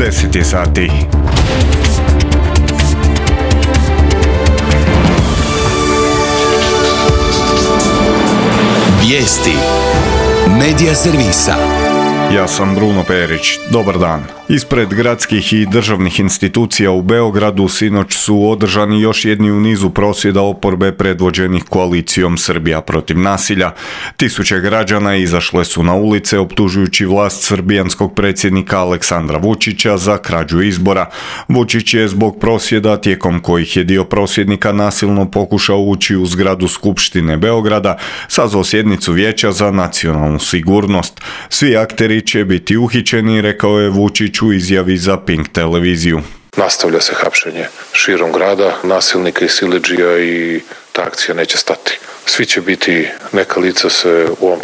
10 je sati. Vijesti Medija servisa. Ja sam Bruno Perić. Dobar dan. Ispred gradskih i državnih institucija u Beogradu sinoć su održani još jedni u nizu prosvjeda oporbe predvođenih koalicijom Srbija protiv nasilja. Tisuće građana izašle su na ulice optužujući vlast srbijanskog predsjednika Aleksandra Vučića za krađu izbora. Vučić je zbog prosvjeda, tijekom kojih je dio prosvjednika nasilno pokušao ući u zgradu Skupštine Beograda, sazvao sjednicu Vijeća za nacionalnu sigurnost. Svi akteri će biti uhićeni, rekao je Vučić u izjavi za Pink televiziju. Nastavlja se hapšenje širom grada, nasilnika i siledžija i ta akcija neće stati. Svi će biti, za neka lica se u ovom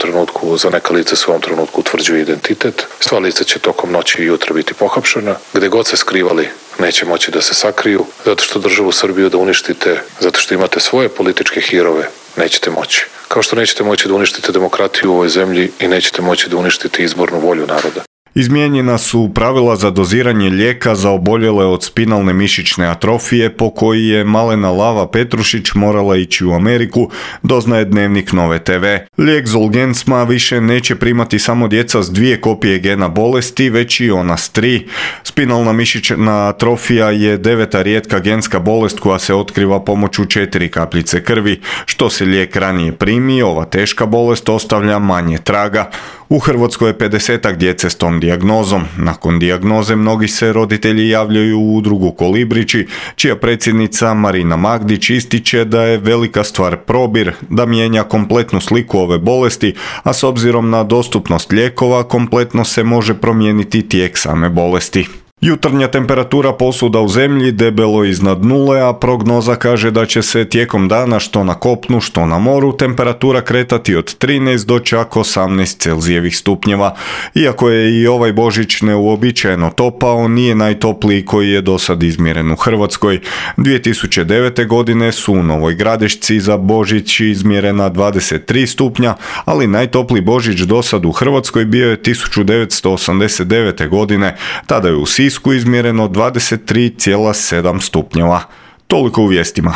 trenutku utvrđuje identitet. Sva lica će tokom noći i jutra biti pohapšena. Gde god se skrivali, neće moći da se sakriju, zato što državu Srbiju da uništite, zato što imate svoje političke hirove, nećete moći. Kao što nećete moći da uništite demokratiju u ovoj zemlji i nećete moći da uništite izbornu volju naroda. Izmijenjena su pravila za doziranje lijeka za oboljele od spinalne mišićne atrofije po koji je malena Lava Petrušić morala ići u Ameriku, doznaje Dnevnik Nove TV. Lijek Zolgensma više neće primati samo djeca s 2 kopije gena bolesti, već i ona s 3. Spinalna mišićna atrofija je 9. rijetka genska bolest koja se otkriva pomoću 4 kapljice krvi. Što se lijek ranije primi, ova teška bolest ostavlja manje traga. U Hrvatskoj je 50-ak djece s tom dijagnozom. Nakon dijagnoze mnogi se roditelji javljaju u udrugu Kolibrići, čija predsjednica Marina Magdić ističe da je velika stvar probir, da mijenja kompletnu sliku ove bolesti, a s obzirom na dostupnost lijekova kompletno se može promijeniti tijek same bolesti. Jutarnja temperatura posuda u zemlji debelo iznad nule, a prognoza kaže da će se tijekom dana što na kopnu, što na moru temperatura kretati od 13 do čak 18 Celzijevih stupnjeva. Iako je i ovaj Božić neuobičajeno topao, nije najtopliji koji je do sad izmjeren u Hrvatskoj. 2009. godine su u Novoj Gradišci za Božić izmjerena 23 stupnja, ali najtopliji Božić do sad u Hrvatskoj bio je 1989. godine. Tada je u Sisku izmjereno 23,7 stupnjeva. Toliko u vijestima.